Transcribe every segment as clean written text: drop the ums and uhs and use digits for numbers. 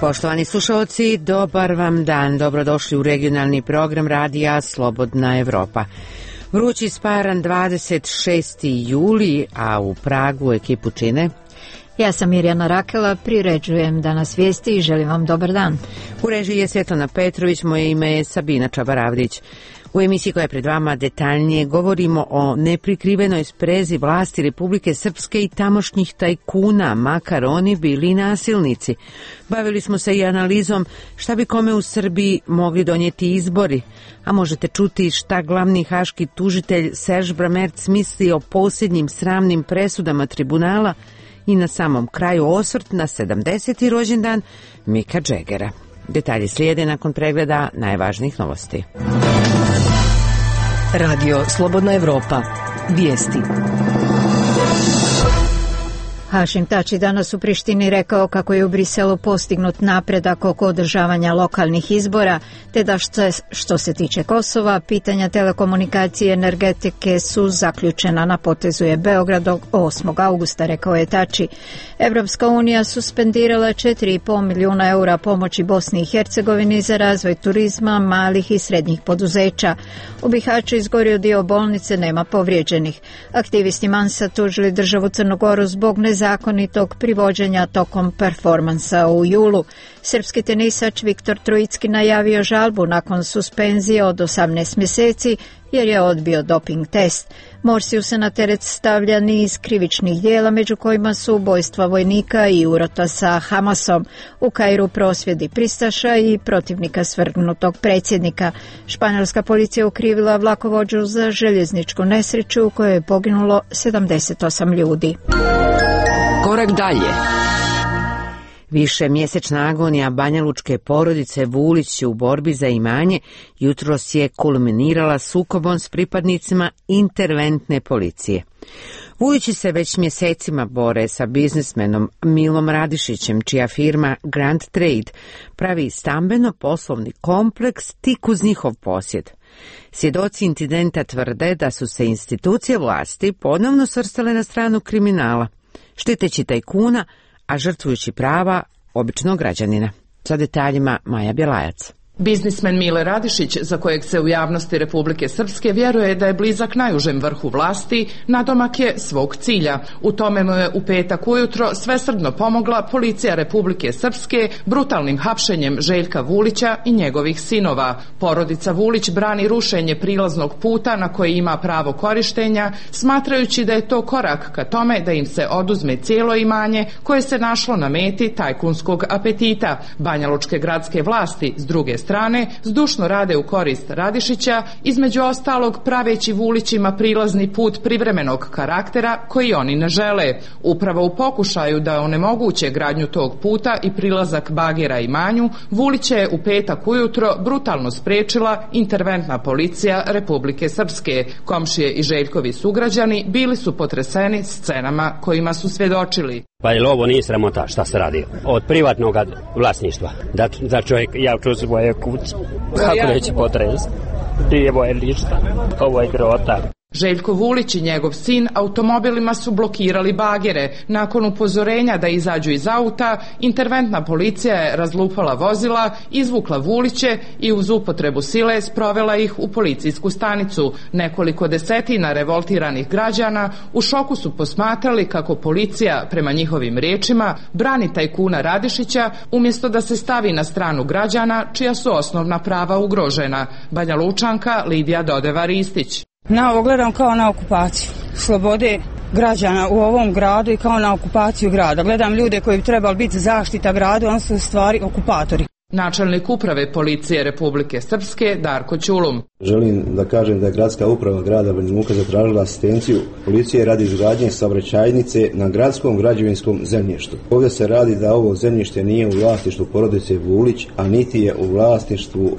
Poštovani slušalci, dobar vam dan. Dobrodošli u regionalni program radija Slobodna Evropa. Vrući sparan 26. juli, a u Pragu ekipu čine... Ja sam Mirjana Rakela, priređujem danas vijesti i želim vam dobar dan. U režiji je Svetlana Petrović, moje ime je Sabina Čabaravdić. U emisiji koja je pred vama detaljnije govorimo o neprikrivenoj sprezi vlasti Republike Srpske i tamošnjih tajkuna, makar oni bili nasilnici. Bavili smo se i analizom šta bi kome u Srbiji mogli donijeti izbori, a možete čuti šta glavni haški tužitelj Serž Bramerc misli o posljednjim sramnim presudama tribunala i na samom kraju osvrt na 70. rođendan Mika Džegera. Detalji slijede nakon pregleda najvažnijih novosti. Radio Slobodna Evropa. Vijesti. Hašim Tači danas u Prištini rekao kako je u Briselu postignut napredak oko održavanja lokalnih izbora, te da što se tiče Kosova, pitanja telekomunikacije i energetike su zaključena na potezu je Beograd 8. augusta, rekao je Tači. Evropska unija suspendirala 4,5 milijuna eura pomoći Bosni i Hercegovini za razvoj turizma, malih i srednjih poduzeća. U Bihaću izgorio dio bolnice, nema povrijeđenih. Aktivisti Mansa tužili državu Crnu Goru zbog nezakonitog privođenja tokom performansa u julu. Srpski tenisač Viktor Trojicki najavio žalbu nakon suspenzije od 18 mjeseci jer je odbio doping test. Morsiju se na teret stavlja niz krivičnih dijela, među kojima su ubojstva vojnika i urota sa Hamasom. U Kairu prosvjedi pristaša i protivnika svrgnutog predsjednika. Španjolska policija ukrivila vlakovođu za željezničku nesreću u kojoj je poginulo 78 ljudi. Korak dalje. Višemjesečna agonija banjalučke porodice Vulić u borbi za imanje jutros je kulminirala sukobom s pripadnicima interventne policije. Vulići se već mjesecima bore sa biznismenom Milom Radišićem, čija firma Grand Trade pravi stambeno-poslovni kompleks tik uz njihov posjed. Svjedoci incidenta tvrde da su se institucije vlasti ponovno svrstale na stranu kriminala, štiteći tajkuna, a žrtvujući prava običnog građanina. Sa detaljima Maja Bjelajac. Biznismen Mile Radišić, za kojeg se u javnosti Republike Srpske vjeruje da je blizak najužem vrhu vlasti, nadomak je svog cilja. U tome mu je u petak ujutro svesrdno pomogla policija Republike Srpske brutalnim hapšenjem Željka Vulića i njegovih sinova. Porodica Vulić brani rušenje prilaznog puta na koji ima pravo korištenja, smatrajući da je to korak ka tome da im se oduzme cijelo imanje koje se našlo na meti tajkunskog apetita. Banjalučke gradske vlasti, s druge strane, zdušno rade u korist Radišića, između ostalog praveći Vulićima prilazni put privremenog karaktera koji oni ne žele. Upravo u pokušaju da onemoguće gradnju tog puta i prilazak bagera imanju, Vulića je u petak ujutro brutalno spriječila interventna policija Republike Srpske. Komšije i Željkovi sugrađani bili su potreseni scenama kojima su svjedočili. Pa je ovo nije sramota šta se radi od privatnog vlasništva, da čovjek javču u svoje kuće, kako neće potresti, nije moje ništa, ovo je grota. Željko Vulić i njegov sin automobilima su blokirali bagere. Nakon upozorenja da izađu iz auta, interventna policija je razlupala vozila, izvukla Vuliće i uz upotrebu sile sprovela ih u policijsku stanicu. Nekoliko desetina revoltiranih građana u šoku su posmatrali kako policija, prema njihovim riječima, brani tajkuna Radišića umjesto da se stavi na stranu građana čija su osnovna prava ugrožena. Banjalučanka Lidija Dodeva-Ristić. Na ovo gledam kao na okupaciju slobode građana u ovom gradu i kao na okupaciju grada. Gledam ljude koji bi trebali biti zaštita gradu, oni su u stvari okupatori. Načelnik uprave policije Republike Srpske Darko Ćulum. Želim da kažem da je gradska uprava grada Banja Luka zatražila asistenciju policije radi izgradnje saobraćajnice na gradskom građevinskom zemljištu. Ovdje se radi da ovo zemljište nije u vlasništvu porodice Vulić, a niti je u vlasništvu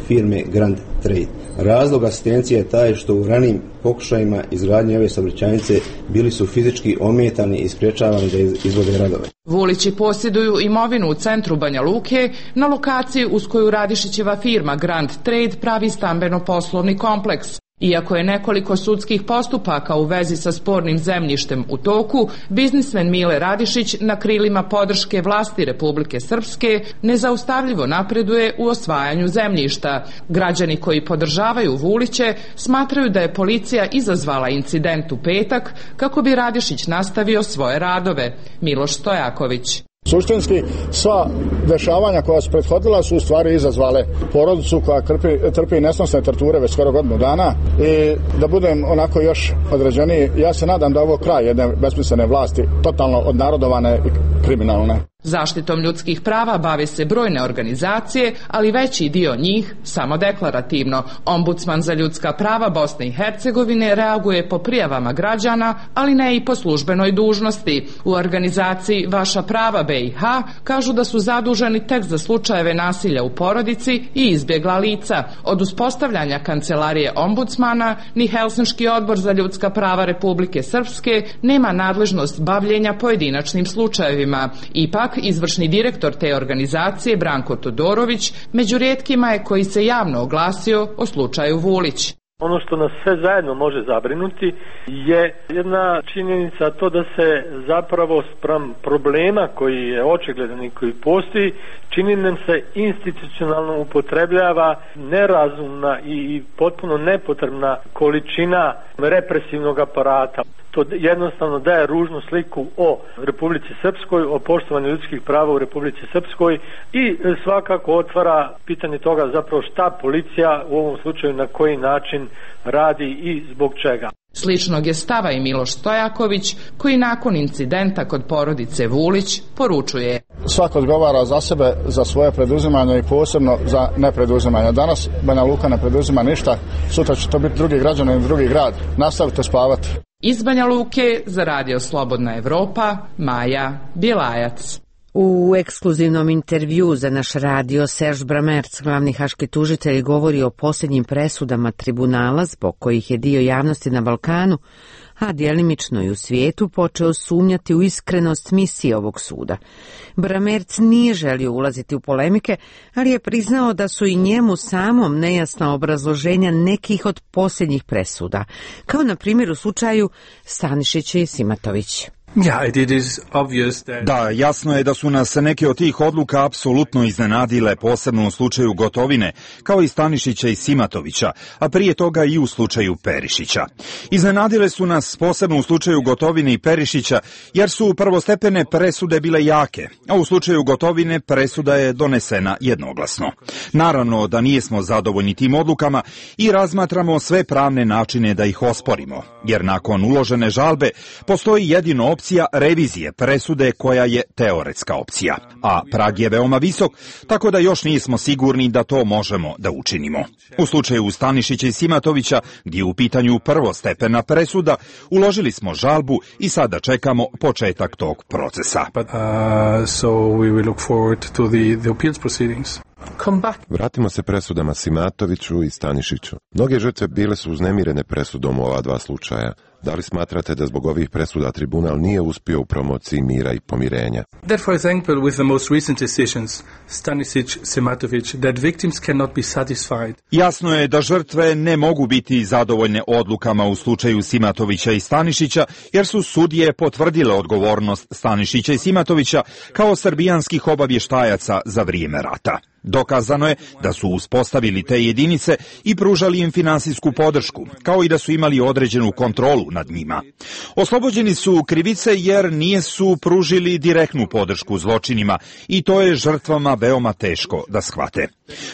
firme Grand Trade. Razlog asistencije je taj što u ranijim pokušajima izgradnje ove saobraćajnice bili su fizički ometani i sprječavani da izvode radove. Vulići posjeduju imovinu u centru Banja Luke, na lokaciji uz koju Radišićeva firma Grand Trade pravi stambeno-poslovni kompleks. Iako je nekoliko sudskih postupaka u vezi sa spornim zemljištem u toku, biznismen Mile Radišić na krilima podrške vlasti Republike Srpske nezaustavljivo napreduje u osvajanju zemljišta. Građani koji podržavaju Vuliće smatraju da je policija izazvala incident u petak kako bi Radišić nastavio svoje radove. Miloš Stojaković. Suštinski, sva dešavanja koja su prethodila su u stvari izazvale porodicu koja trpi nesnosne torture već skoro godinu dana i da budem onako još određeniji, ja se nadam da ovo kraj jedne besmislene vlasti, totalno odnarodovane i kriminalne. Zaštitom ljudskih prava bave se brojne organizacije, ali veći dio njih samo deklarativno. Ombudsman za ljudska prava Bosne i Hercegovine reaguje po prijavama građana, ali ne i po službenoj dužnosti. U organizaciji Vaša prava BiH kažu da su zaduženi tek za slučajeve nasilja u porodici i izbjegla lica. Od uspostavljanja kancelarije ombudsmana ni Helsinški odbor za ljudska prava Republike Srpske nema nadležnost bavljenja pojedinačnim slučajevima. Ipak, izvršni direktor te organizacije Branko Todorović među rijetkima je koji se javno oglasio o slučaju Vulić. Ono što nas sve zajedno može zabrinuti je jedna činjenica, to da se zapravo spram problema koji je očigledan i koji postoji, čini nam se institucionalno upotrebljava nerazumna i potpuno nepotrebna količina represivnog aparata. To jednostavno daje ružnu sliku o Republici Srpskoj, o poštovanju ljudskih prava u Republici Srpskoj i svakako otvara pitanje toga zapravo šta policija u ovom slučaju na koji način radi i zbog čega. Sličnog je stava i Miloš Stojaković, koji nakon incidenta kod porodice Vulić poručuje: Svako odgovara za sebe, za svoje preduzimanje i posebno za nepreduzimanje. Danas Banja Luka ne preduzima ništa, sutra će to biti drugi građanin, drugi grad. Nastavite spavati. Iz Banja Luke za Radio Slobodna Evropa, Maja Bjelajac. U ekskluzivnom intervju za naš radio Serge Bramerc, glavni haški tužitelj, govori o posljednjim presudama tribunala zbog kojih je dio javnosti na Balkanu, a djelimično i u svijetu, počeo sumnjati u iskrenost misije ovog suda. Bramerc nije želio ulaziti u polemike, ali je priznao da su i njemu samom nejasna obrazloženja nekih od posljednjih presuda, kao na primjer u slučaju Stanišić i Simatović. Da, jasno je da su nas neke od tih odluka apsolutno iznenadile, posebno u slučaju Gotovine, kao i Stanišića i Simatovića, a prije toga i u slučaju Perišića. Iznenadile su nas posebno u slučaju Gotovine i Perišića, jer su prvostepene presude bile jake, a u slučaju Gotovine presuda je donesena jednoglasno. Naravno da nijesmo zadovoljni tim odlukama i razmatramo sve pravne načine da ih osporimo, jer nakon uložene žalbe postoji jedino opcija revizije presude koja je teoretska opcija, a prag je veoma visok, tako da još nismo sigurni da to možemo da učinimo. U slučaju Stanišića i Simatovića, gdje je u pitanju prvostepena presuda, uložili smo žalbu i sada čekamo početak tog procesa. Vratimo se presudama Simatoviću i Stanišiću. Mnoge žrtve bile su uznemirene presudom u ova dva slučaja. Da li smatrate da zbog ovih presuda tribunal nije uspio u promociji mira i pomirenja? That, for example, with the most recent decisions, Stanisic, Simatović, that victims cannot be satisfied. Jasno je da žrtve ne mogu biti zadovoljne odlukama u slučaju Simatovića i Stanišića, jer su sudije potvrdile odgovornost Stanišića i Simatovića kao srbijanskih obavještajaca za vrijeme rata. Dokazano je da su uspostavili te jedinice i pružali im finansijsku podršku, kao i da su imali određenu kontrolu nad njima. Oslobođeni su krivice jer nisu pružili direktnu podršku zločinima i to je žrtvama veoma teško da shvate.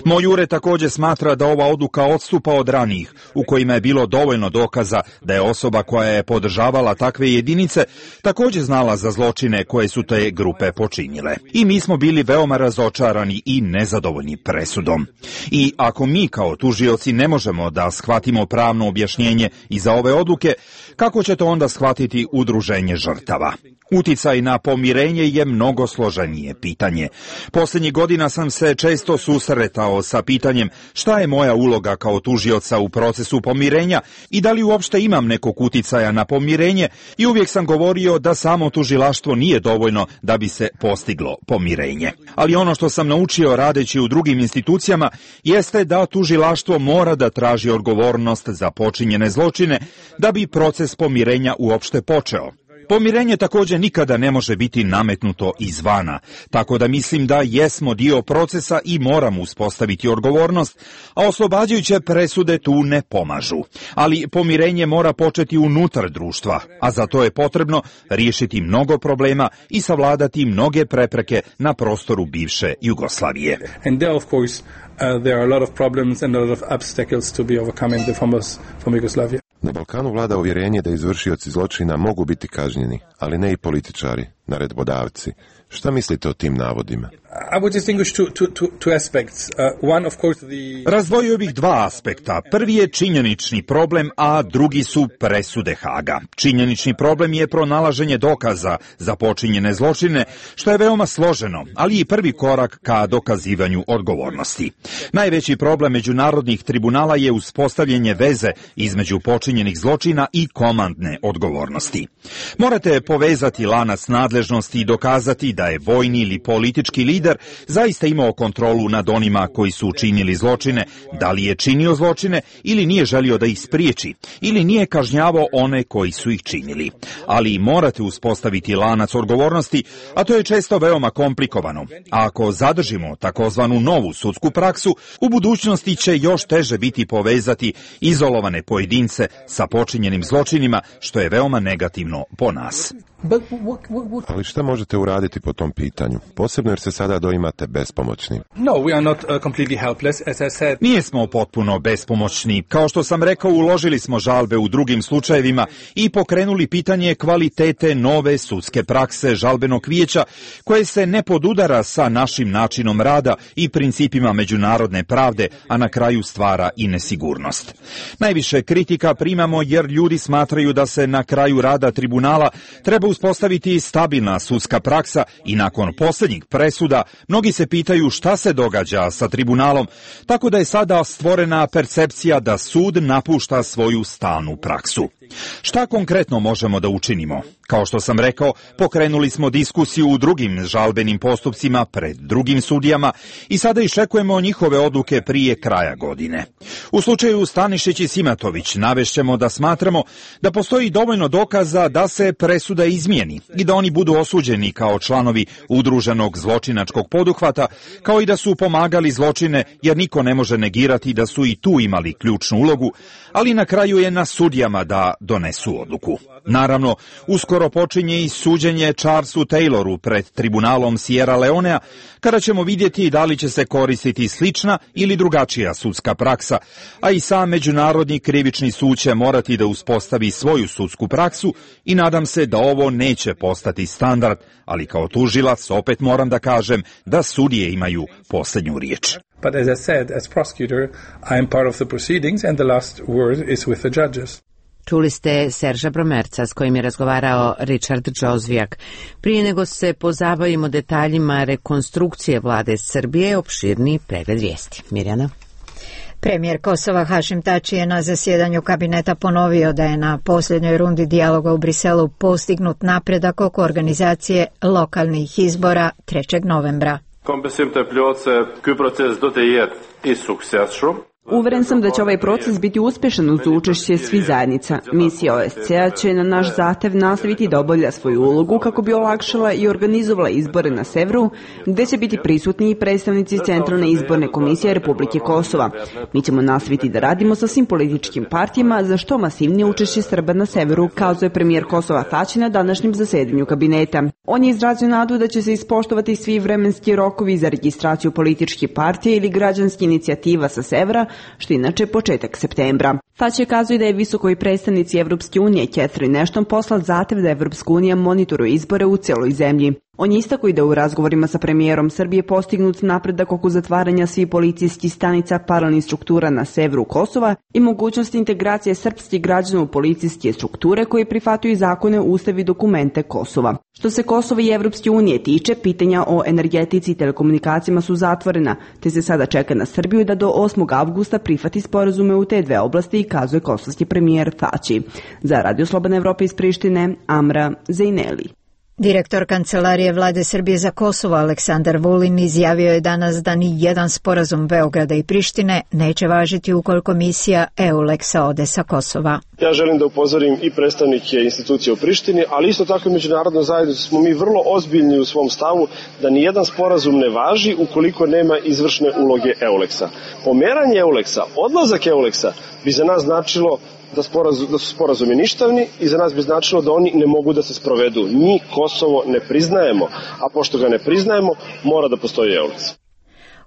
Moj ured također smatra da ova odluka odstupa od ranijih, u kojima je bilo dovoljno dokaza da je osoba koja je podržavala takve jedinice također znala za zločine koje su te grupe počinile. I mi smo bili veoma razočarani i nezadovoljni presudom. I ako mi kao tužioci ne možemo da shvatimo pravno objašnjenje iza ove odluke, kako će to onda shvatiti udruženje žrtava? Uticaj na pomirenje je mnogo složenije pitanje. Posljednjih godina sam se često susretao sa pitanjem šta je moja uloga kao tužioca u procesu pomirenja i da li uopšte imam nekog uticaja na pomirenje, i uvijek sam govorio da samo tužilaštvo nije dovoljno da bi se postiglo pomirenje. Ali ono što sam naučio radeći u drugim institucijama jeste da tužilaštvo mora da traži odgovornost za počinjene zločine da bi proces pomirenja uopšte počeo. Pomirenje također nikada ne može biti nametnuto izvana, tako da mislim da jesmo dio procesa i moramo uspostaviti odgovornost, a oslobađajuće presude tu ne pomažu. Ali pomirenje mora početi unutar društva, a za to je potrebno riješiti mnogo problema i savladati mnoge prepreke na prostoru bivše Jugoslavije. And there, of course, there are a lot of problems and a lot of obstacles to be overcome in the former Yugoslavia. Na Balkanu vlada uvjerenje da izvršioci zločina mogu biti kažnjeni, ali ne i političari, naredbodavci. Šta mislite o tim navodima? Razdvojio bih dva aspekta. Prvi je činjenični problem, a drugi su presude Haga. Činjenični problem je pronalaženje dokaza za počinjene zločine, što je veoma složeno, ali i prvi korak ka dokazivanju odgovornosti. Najveći problem međunarodnih tribunala je uspostavljanje veze između počinjenih zločina i komandne odgovornosti. Morate povezati lanac nadležnosti i dokazati da je vojni ili politički lider zaista imao kontrolu nad onima koji su učinili zločine, da li je činio zločine ili nije želio da ih spriječi, ili nije kažnjavao one koji su ih činili. Ali morate uspostaviti lanac odgovornosti, a to je često veoma komplikovano. A ako zadržimo takozvanu novu sudsku praksu, u budućnosti će još teže biti povezati izolovane pojedince sa počinjenim zločinima, što je veoma negativno po nas. Ali šta možete uraditi po tom pitanju? Posebno jer se sada doimate bespomoćni. No, we are not completely helpless, as I said. Nijesmo potpuno bespomoćni. Kao što sam rekao, uložili smo žalbe u drugim slučajevima i pokrenuli pitanje kvalitete nove sudske prakse žalbenog vijeća, koje se ne podudara sa našim načinom rada i principima međunarodne pravde, a na kraju stvara i nesigurnost. Najviše kritika primamo jer ljudi smatraju da se na kraju rada tribunala treba uspostaviti stabilna sudska praksa i nakon posljednjih presuda mnogi se pitaju šta se događa sa tribunalom, tako da je sada stvorena percepcija da sud napušta svoju stalnu praksu. Šta konkretno možemo da učinimo? Kao što sam rekao, pokrenuli smo diskusiju u drugim žalbenim postupcima pred drugim sudijama i sada iščekujemo njihove odluke prije kraja godine. U slučaju Stanišić i Simatović navešćemo da smatramo da postoji dovoljno dokaza da se presuda izmijeni i da oni budu osuđeni kao članovi udruženog zločinačkog poduhvata, kao i da su pomagali zločine, jer niko ne može negirati da su i tu imali ključnu ulogu, ali na kraju je na sudijama da donesu odluku. Naravno, uskoro počinje i suđenje Charlesu Tayloru pred tribunalom Sierra Leonea, kada ćemo vidjeti da li će se koristiti slična ili drugačija sudska praksa, a i sam Međunarodni krivični sud će morati da uspostavi svoju sudsku praksu i nadam se da ovo neće postati standard, ali kao tužilac opet moram da kažem da sudije imaju posljednju riječ. But as I said, as prosecutor, I am part of the proceedings and the last word is with the judges. Čuli ste Serža Bromerca s kojim je razgovarao Richard Džozvijak. Prije nego se pozabavimo detaljima rekonstrukcije vlade Srbije, opširni pregled vijesti. Mirjana. Premijer Kosova Hašim Tači je na zasjedanju kabineta ponovio da je na posljednjoj rundi dijaloga u Briselu postignut napredak oko organizacije lokalnih izbora 3. novembra. Uveren sam da će ovaj proces biti uspješan uz učešće svih zajednica. Misija OSCE-a će na naš zahtev nastaviti da obavlja svoju ulogu kako bi olakšala i organizovala izbore na severu, gdje će biti prisutni i predstavnici Centralne izborne komisije Republike Kosova. Mi ćemo nastaviti da radimo sa svim političkim partijama za što masivnije učešće Srba na severu, kazuje premijer Kosova Tači na današnjem zasedanju kabineta. On je izrazio nadu da će se ispoštovati svi vremenski rokovi za registraciju političkih partija ili građanskih inicijativa sa severa, što inače početak septembra. Faći kazuje da je visokoj predstavnici Evropske unije Catherine Ashton poslat zahtev da Evropska unija monitoruje izbore u cijeloj zemlji. On je istakao i da u razgovorima sa premijerom Srbije postignut napredak oko zatvaranja svih policijskih stanica paralelnih struktura na severu Kosova i mogućnost integracije srpskih građana u policijske strukture koji prihvataju zakone, ustav i dokumente Kosova. Što se Kosova i Evropske unije tiče, pitanja o energetici i telekomunikacijama su zatvorena, te se sada čeka na Srbiju da do 8. avgusta prihvati sporazume u te dve oblasti i kazuje kosovski premijer Tači. Za Radio Slobodna Evropa iz Prištine, Amra Zejneli. Direktor Kancelarije Vlade Srbije za Kosovo Aleksandar Vulin izjavio je danas da ni jedan sporazum Beograda i Prištine neće važiti ukoliko misija EULEX-a ode sa Kosova. Ja želim da upozorim i predstavnike institucije u Prištini, ali isto tako i međunarodno zajednicu smo mi vrlo ozbiljni u svom stavu da ni jedan sporazum ne važi ukoliko nema izvršne uloge EULEX-a. Pomeranje EULEX-a, odlazak EULEX-a bi za nas značilo da su sporazumi ništavni i za nas bi značilo da oni ne mogu da se sprovedu. Mi Kosovo ne priznajemo, a pošto ga ne priznajemo, mora da postoji EULEX.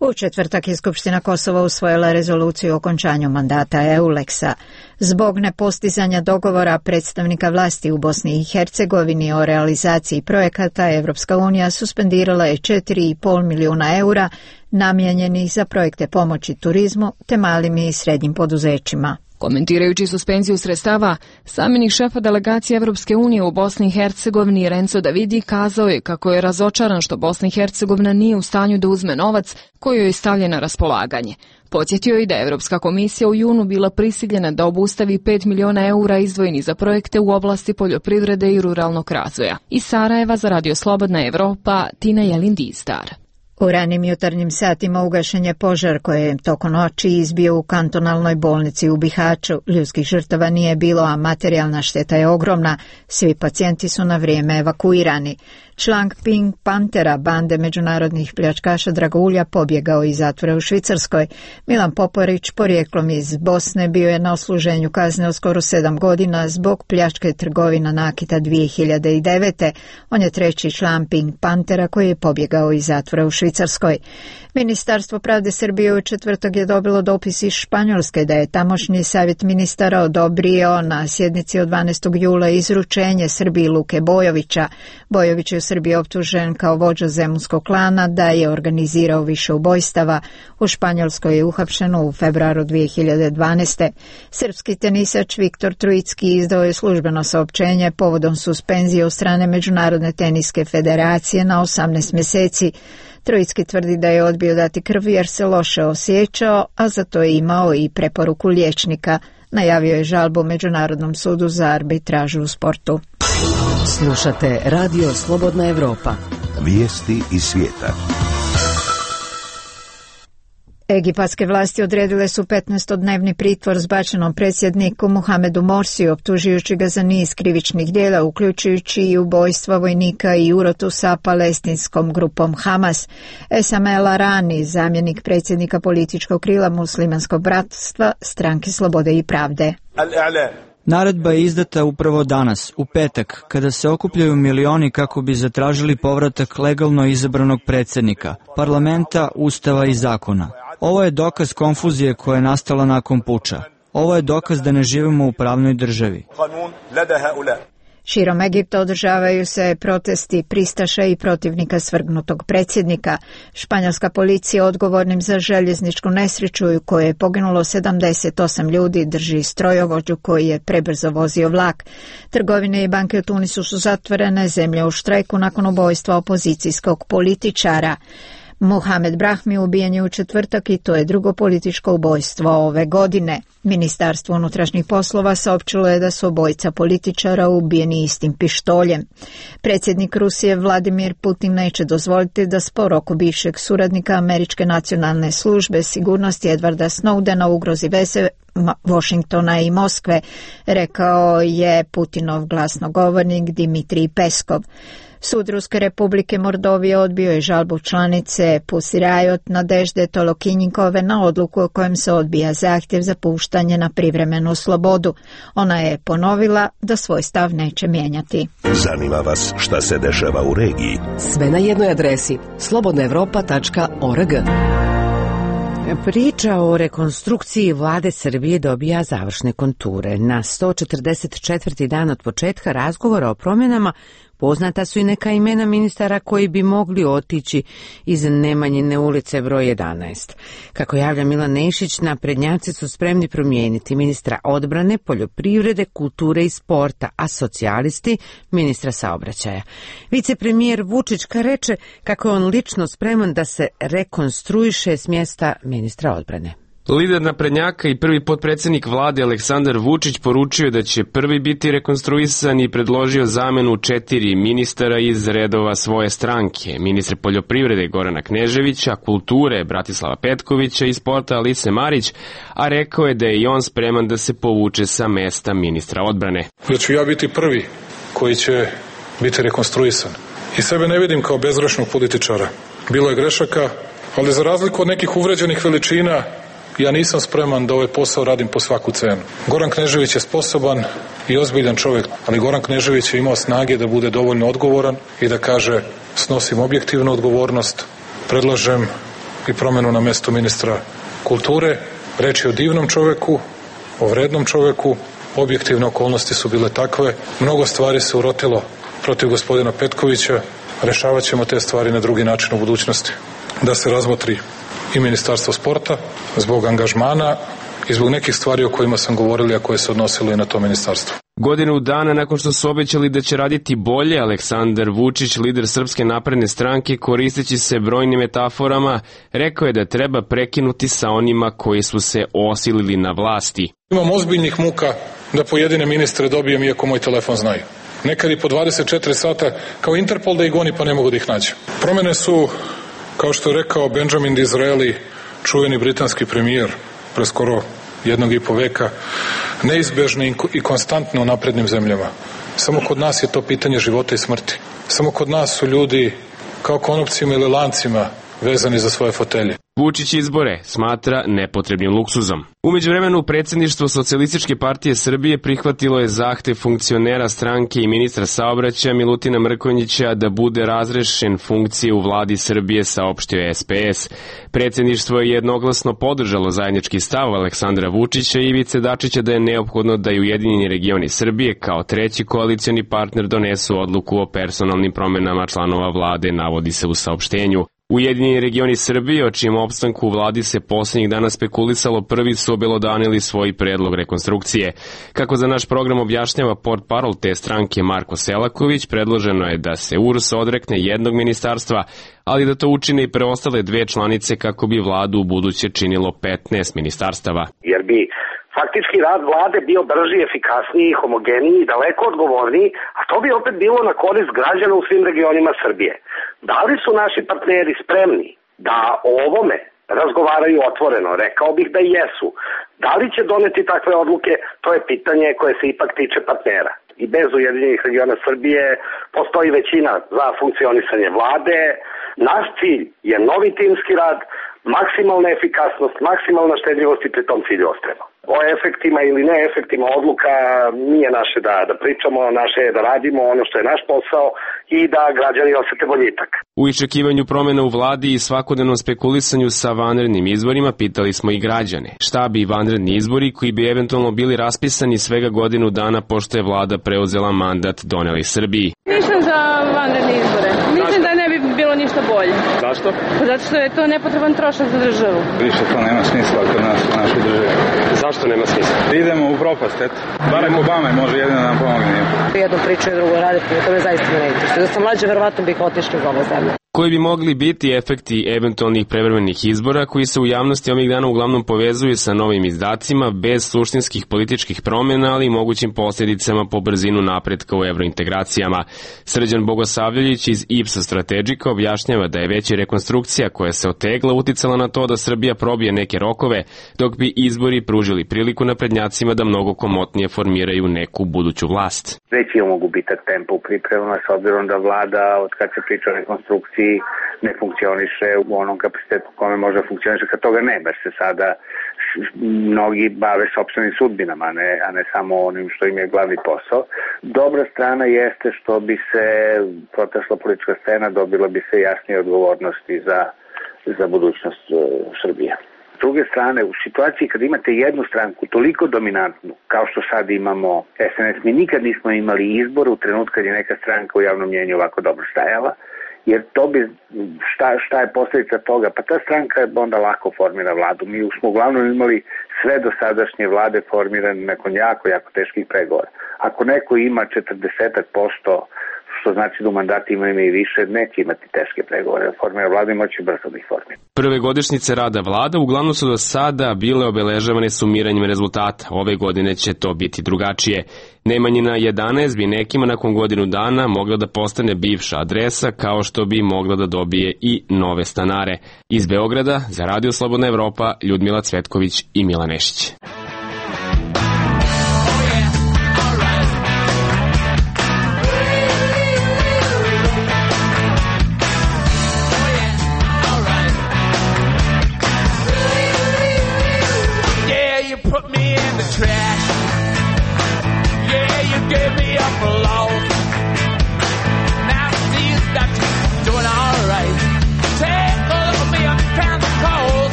U četvrtak je Skupština Kosova usvojila rezoluciju o okončanju mandata EULEX-a. Zbog nepostizanja dogovora predstavnika vlasti u Bosni i Hercegovini o realizaciji projekata, Evropska unija suspendirala je 4,5 milijuna eura namijenjenih za projekte pomoći turizmu te malim i srednjim poduzećima. Komentirajući suspenziju sredstava, zamjenik šefa delegacije Evropske unije u Bosni i Hercegovini Renzo Davidi kazao je kako je razočaran što Bosna i Hercegovina nije u stanju da uzme novac koji joj je stavljen na raspolaganje. Podsjetio je da je Evropska komisija u junu bila prisiljena da obustavi 5 miliona eura izdvojeni za projekte u oblasti poljoprivrede i ruralnog razvoja. Iz Sarajeva za Radio Slobodna Evropa, Tina Jelin-Distar. U ranim jutarnjim satima ugašen je požar koji je tokom noći izbio u kantonalnoj bolnici u Bihaću. Ljudskih žrtava nije bilo, a materijalna šteta je ogromna. Svi pacijenti su na vrijeme evakuirani. Član Pink Panthera, bande međunarodnih pljačkaša dragulja, pobjegao iz zatvora u Švicarskoj. Milan Poporić, porijeklom iz Bosne, bio je na odsluženju kazne od skoro 7 godina zbog pljačke trgovina nakita 2009. On je treći član Pink Panthera koji je pobjegao iz zatvora u Švicarskoj. Ministarstvo pravde Srbije u četvrtak je dobilo dopis iz Španjolske da je tamošnji savjet ministara odobrio na sjednici od 12. jula izručenje Srbiji Luke Bojovića. Bojović je u Srbiji optužen kao vođa zemunskog klana da je organizirao više ubojstava. U Španjolskoj je uhapšen u februaru 2012. Srpski tenisač Viktor Trojicki izdao je službeno saopćenje povodom suspenzije od strane Međunarodne teniske federacije na 18 mjeseci. Trojicki tvrdi da je odbio dati krv jer se loše osjećao, a za to je imao i preporuku liječnika. Najavio je žalbu Međunarodnom sudu za arbitražu u sportu. Slušate Radio Slobodna Evropa. Vijesti iz svijeta. Egipatske vlasti odredile su 15-dnevni pritvor zbačenom predsjedniku Muhamedu Morsiju, optužujući ga za niz krivičnih djela, uključujući i ubojstva vojnika i urotu sa palestinskom grupom Hamas. Esam El Arani, zamjenik predsjednika političkog krila Muslimanskog bratstva, Stranke slobode i pravde. Naredba je izdata upravo danas, u petak, kada se okupljaju milioni kako bi zatražili povratak legalno izabranog predsjednika, parlamenta, ustava i zakona. Ovo je dokaz konfuzije koja je nastala nakon puča. Ovo je dokaz da ne živimo u pravnoj državi. Širom Egipta održavaju se protesti pristaša i protivnika svrgnutog predsjednika. Španjolska policija odgovornim za željezničku nesreću u kojoj je poginulo 78 ljudi drži strojovođu koji je prebrzo vozio vlak. Trgovine i banke u Tunisu su zatvorene, zemlja u štrajku nakon ubojstva opozicijskog političara. Mohamed Brahmi ubijen je u četvrtak i to je drugo političko ubojstvo ove godine. Ministarstvo unutrašnjih poslova saopćilo je da su obojica političara ubijeni istim pištoljem. Predsjednik Rusije Vladimir Putin neće dozvoliti da spor oko bivšeg suradnika Američke nacionalne službe sigurnosti Edwarda Snowdena ugrozi veze Washingtona i Moskve, rekao je Putinov glasnogovornik Dmitrij Peskov. Sud Ruske republike Mordovije odbio je žalbu članice Pussy Riot Nadežde Tolokinjikove na odluku o kojem se odbija zahtjev za puštanje na privremenu slobodu. Ona je ponovila da svoj stav neće mijenjati. Zanima vas šta se dešava u regiji? Sve na jednoj adresi slobodnaevropa.org. Priča o rekonstrukciji vlade Srbije dobija završne konture. Na 144. dan od početka razgovora o promjenama poznata su i neka imena ministara koji bi mogli otići iz Nemanjine ulice broj 11. Kako javlja Milan Nešić, naprednjaci su spremni promijeniti ministra odbrane, poljoprivrede, kulture i sporta, a socijalisti ministra saobraćaja. Vicepremijer Vučićka reče kako je on lično spreman da se rekonstruiše s mjesta ministra odbrane. Lider naprednjaka i prvi potpredsjednik vlade Aleksandar Vučić poručio da će prvi biti rekonstruisan i predložio zamenu 4 ministara iz redova svoje stranke. Ministre poljoprivrede Gorana Kneževića, kulture Bratislava Petkovića i sporta Alise Marić, a rekao je da je i on spreman da se povuče sa mesta ministra odbrane. Da ću ja biti prvi koji će biti rekonstruisan. I sebe ne vidim kao bezgrešnog političara. Bilo je grešaka, ali za razliku od nekih uvređenih veličina, ja nisam spreman da ovaj posao radim po svaku cenu. Goran Knežević je sposoban i ozbiljan čovjek, ali Goran Knežević je imao snage da bude dovoljno odgovoran i da kaže snosim objektivnu odgovornost, predlažem i promjenu na mjestu ministra kulture. Reč je o divnom čovjeku, o vrednom čovjeku, objektivne okolnosti su bile takve, mnogo stvari se urotilo protiv gospodina Petkovića, rešavat ćemo te stvari na drugi način u budućnosti. Da se razmotri i Ministarstvo sporta zbog angažmana i zbog nekih stvari o kojima sam govorili, a koje se odnosilo i na to ministarstvo. Godinu dana nakon što su obećali da će raditi bolje, Aleksandar Vučić, lider Srpske napredne stranke, koristeći se brojnim metaforama, rekao je da treba prekinuti sa onima koji su se osilili na vlasti. Imam ozbiljnih muka da pojedine ministre dobijem iako moj telefon znaju. Nekad i po 24 sata kao Interpol da ih goni pa ne mogu da ih nađem. Promjene su, kao što je rekao Benjamin Disraeli, čuveni britanski premijer pre skoro 1,5 veka, neizbežne i konstantne u naprednim zemljama. Samo kod nas je to pitanje života i smrti. Samo kod nas su ljudi kao konopcima ili lancima vezani za svoje fotelje. Vučić izbore smatra nepotrebnim luksuzom. U međuvremenu predsjedništvo Socijalističke partije Srbije prihvatilo je zahtev funkcionera stranke i ministra saobraćaja Milutina Mrkonjića da bude razrešen funkcije u vladi Srbije, saopštio je SPS. Predsjedništvo je jednoglasno podržalo zajednički stav Aleksandra Vučića i Ivice Dačića da je neophodno da i Ujedinjeni regioni Srbije kao treći koalicioni partner donesu odluku o personalnim promjenama članova vlade, navodi se u saopštenju. Ujedinjeni regioni Srbije, o čijem opstanku u vladi se posljednjih dana spekulisalo, prvi su obelodanili svoj predlog rekonstrukcije. Kako za naš program objašnjava portparol te stranke Marko Selaković, predloženo je da se URS odrekne jednog ministarstva, ali da to učine i preostale 2 članice kako bi vladu u buduće činilo 15 ministarstava. Jer bi faktički rad vlade bio brži, efikasniji, homogeniji, daleko odgovorniji, a to bi opet bilo na korist građana u svim regionima Srbije. Da li su naši partneri spremni da o ovome razgovaraju otvoreno? Rekao bih da jesu. Da li će doneti takve odluke? To je pitanje koje se ipak tiče partnera. I bez Ujedinjenih regiona Srbije postoji većina za funkcionisanje vlade. Naš cilj je novi timski rad, maksimalna efikasnost, maksimalna štedljivost i pri tom cilju ostrema. O efektima ili ne efektima odluka nije naše da pričamo, naše je da radimo ono što je naš posao i da građani osete boljitak. U iščekivanju promjena u vladi i svakodnevnom spekulisanju sa vanrednim izborima pitali smo i građane. Šta bi vanredni izbori koji bi eventualno bili raspisani svega godinu dana pošto je vlada preuzela mandat doneli Srbiji? Mislim za vanredne izbore. Mislim da ne bi bilo ništa bolje. Zašto? Zato što je to nepotreban trošak za državu. Više to nema smisla kod nas u našoj državi. Zašto nema smisla? Idemo u propast, eto. Barem Obama može jedino nam pomogne. Jedno priču i drugo raditi, to me zaista ne interesuje. Da sam mlađa, verovatno bih otišla iz ove zemlje. Koji bi mogli biti efekti eventualnih prevremenih izbora koji se u javnosti ovih dana uglavnom povezuju sa novim izdacima bez suštinskih političkih promjena, ali i mogućim posljedicama po brzinu napretka u evrointegracijama. Srđan Bogosavljević iz Ipsos Strategika objašnjava da je već i rekonstrukcija koja se otegla uticala na to da Srbija probije neke rokove, dok bi izbori pružili priliku naprednjacima da mnogo komotnije formiraju neku buduću vlast. Već imamo gubitak tempa u pripremama s obzirom da vlada, od kad se priča o rekonstrukciji, ne funkcioniše u onom kapacitetu u kome može funkcioniše, kad toga ne, baš se sada mnogi bave sopstvenim sudbinama, a ne samo onim što im je glavni posao. Dobra strana jeste što bi se protesla politička scena, dobila bi se jasnije odgovornosti za budućnost Srbije. S druge strane, u situaciji kad imate jednu stranku toliko dominantnu, kao što sad imamo SNS, mi nikad nismo imali izbor u trenutku kad je neka stranka u javnom mnjenju ovako dobro stajala, jer to bi, šta je posljedica toga? Pa ta stranka onda lako formira vladu. Mi smo uglavnom imali sve dosadašnje vlade formirane nakon jako teških pregovora. Ako neko ima 40%, što znači da u mandatima ima i više, neće imati teške pregovore. Formira vlada i moći brzo da ih formira. Prve godišnjice rada vlada uglavnom su do sada bile obeležavane sumiranjem rezultata. Ove godine će to biti drugačije. Nemanjina 11 bi nekima nakon godinu dana mogla da postane bivša adresa, kao što bi mogla da dobije i nove stanare. Iz Beograda za Radio Slobodna Evropa, Ljudmila Cvetković i Mila Nešić.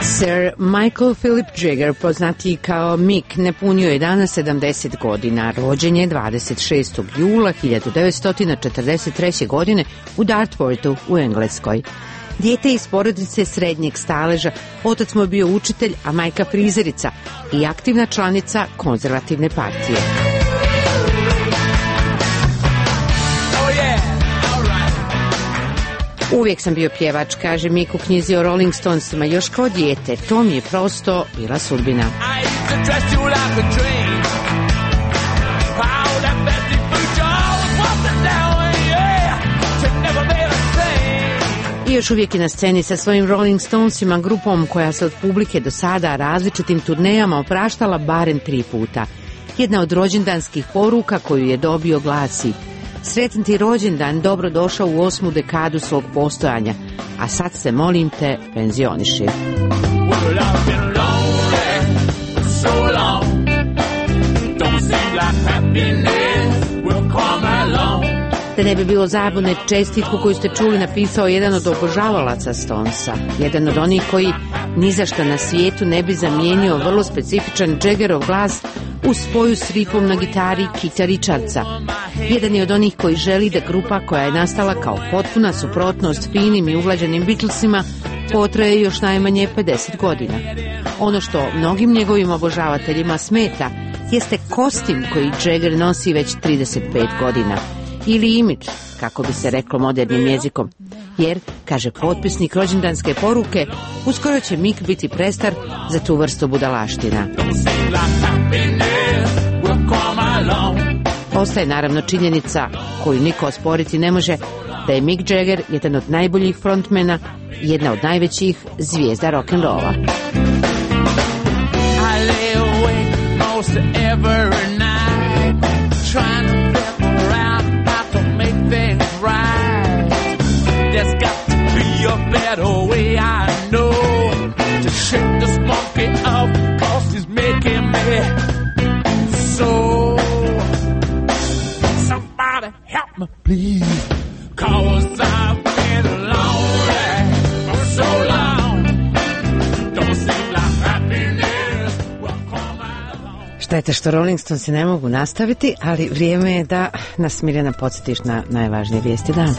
Sir Michael Philip Jagger, poznatiji kao Mick, napunio je danas 70 godina. Rođen je 26. jula 1943. godine u Dartfordu u Engleskoj. Dijete iz porodice srednjeg staleža, otac mu je bio učitelj, a majka frizerica i aktivna članica konzervativne partije. Uvijek sam bio pjevač, kaže Mick u knjizi o Rolling Stonesima, još kao dijete. To mi je prosto bila sudbina. I još uvijek je na sceni sa svojim Rolling Stonesima, grupom koja se od publike do sada različitim turnejama opraštala barem 3 puta. Jedna od rođendanskih poruka koju je dobio glasi: sretan ti rođendan, dobro došao u 8. dekadu svog postojanja, a sad se molim te penzioniši. Da ne bi bilo zabune, čestitku koju ste čuli napisao jedan od obožavalaca Stonesa, jedan od onih koji ni za šta na svijetu ne bi zamijenio vrlo specifičan Jaggerov glas u spoju s rifom na gitari Keitha Richardsa. Jedan je od onih koji želi da grupa koja je nastala kao potpuna suprotnost finim i uglađenim Beatlesima potraje još najmanje 50 godina. Ono što mnogim njegovim obožavateljima smeta jeste kostim koji Jagger nosi već 35 godina. Ili imidž, kako bi se reklo modernim jezikom. Jer, kaže potpisnik rođendanske poruke, uskoro će Mick biti prestar za tu vrstu budalaština. Ostaje naravno činjenica koju niko osporiti ne može, da je Mick Jagger jedan od najboljih frontmena, jedna od najvećih zvijezda rock'n'rolla. A better way, I know, to shake this monkey off, 'cause he's making me so. Somebody help me, please, 'cause I've been lonely for so long. Don't seem like happiness will come along. Šteta što Rolling Stonesi ne mogu nastaviti, ali vrijeme je da nas, Mirjana, podsjetiš na najvažnije vijesti dana.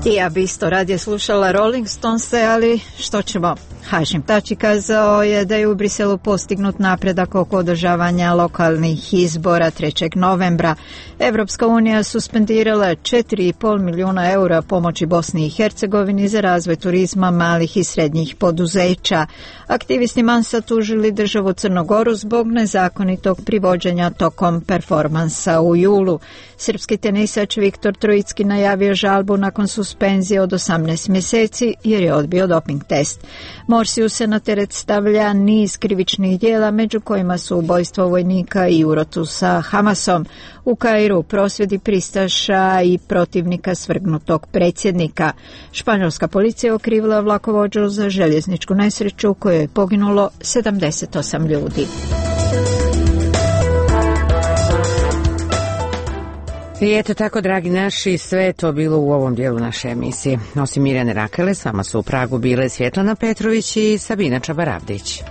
I ja bi isto radije slušala Rolling Stonese, ali što ćemo? Hašim Tači kazao je da je u Briselu postignut napredak oko održavanja lokalnih izbora 3. novembra. Evropska unija suspendirala 4,5 milijuna eura pomoći Bosni i Hercegovini za razvoj turizma malih i srednjih poduzeća. Aktivisti Mansa tužili državu Crnogoru zbog nezakonitog privođenja tokom performansa u julu. Srpski tenisač Viktor Trojicki najavio žalbu nakon suspenzije od 18 mjeseci jer je odbio doping test. Morsiju se na teret stavlja niz krivičnih djela, među kojima su ubojstvo vojnika i urotu sa Hamasom. U Kairu prosvjedi pristaša i protivnika svrgnutog predsjednika. Španjolska policija okrivila vlakovođu za željezničku nesreću u kojoj je poginulo 78 ljudi. I eto tako, dragi naši, sve je to bilo u ovom dijelu naše emisije. Osim Mirjane Rakele, s vama su u Pragu bile Svjetlana Petrović i Sabina Čabaravdić.